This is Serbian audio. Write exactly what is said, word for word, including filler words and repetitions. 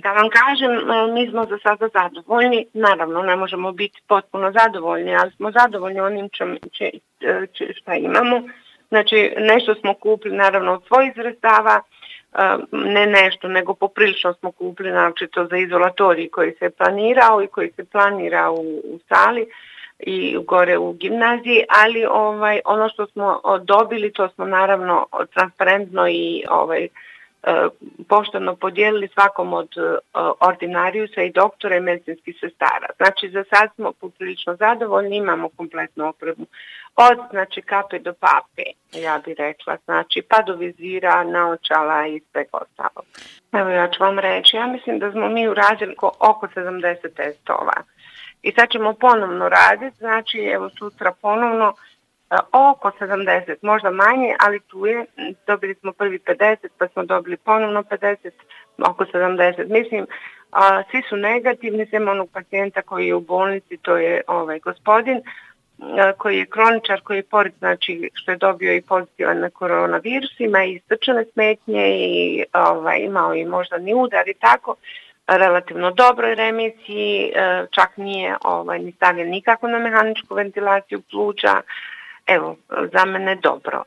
Da vam kažem, mi smo za sada zadovoljni, naravno ne možemo biti potpuno zadovoljni, ali smo zadovoljni onim što imamo. Znači nešto smo kupili naravno od svojih sredstava, ne nešto, nego poprilično smo kupili naročito za izolatorij koji se planirao i koji se planira u, u sali i gore u gimnaziji, ali ovaj, ono što smo dobili to smo naravno transparentno i ovaj, pošteno podijelili svakom od ordinarijusa i doktora i medicinskih sestara. Znači za sad smo poprilično zadovoljni, imamo kompletnu opremu. Od znači kape do pape, ja bih rekla, znači pa do vizira, naočala i sve ostalo. Evo ja ću vam reći, ja mislim da smo mi uradili oko sedamdeset testova. I sad ćemo ponovno raditi, znači evo sutra ponovno oko sedamdeset, možda manje, ali tu je, dobili smo prvi pedeset, pa smo dobili ponovno pedeset, oko sedamdeset. Mislim, a, svi su negativni, sem onog pacijenta koji je u bolnici, to je ovaj gospodin, a, koji je kroničar, koji je pored, znači što je dobio i pozitivan na koronavirus, ima i srčane smetnje i ovaj, imao i moždani udar i tako, relativno dobroj remisiji, čak nije ovaj, ni stavljen nikako na mehaničku ventilaciju pluća. Evo, za mene dobro.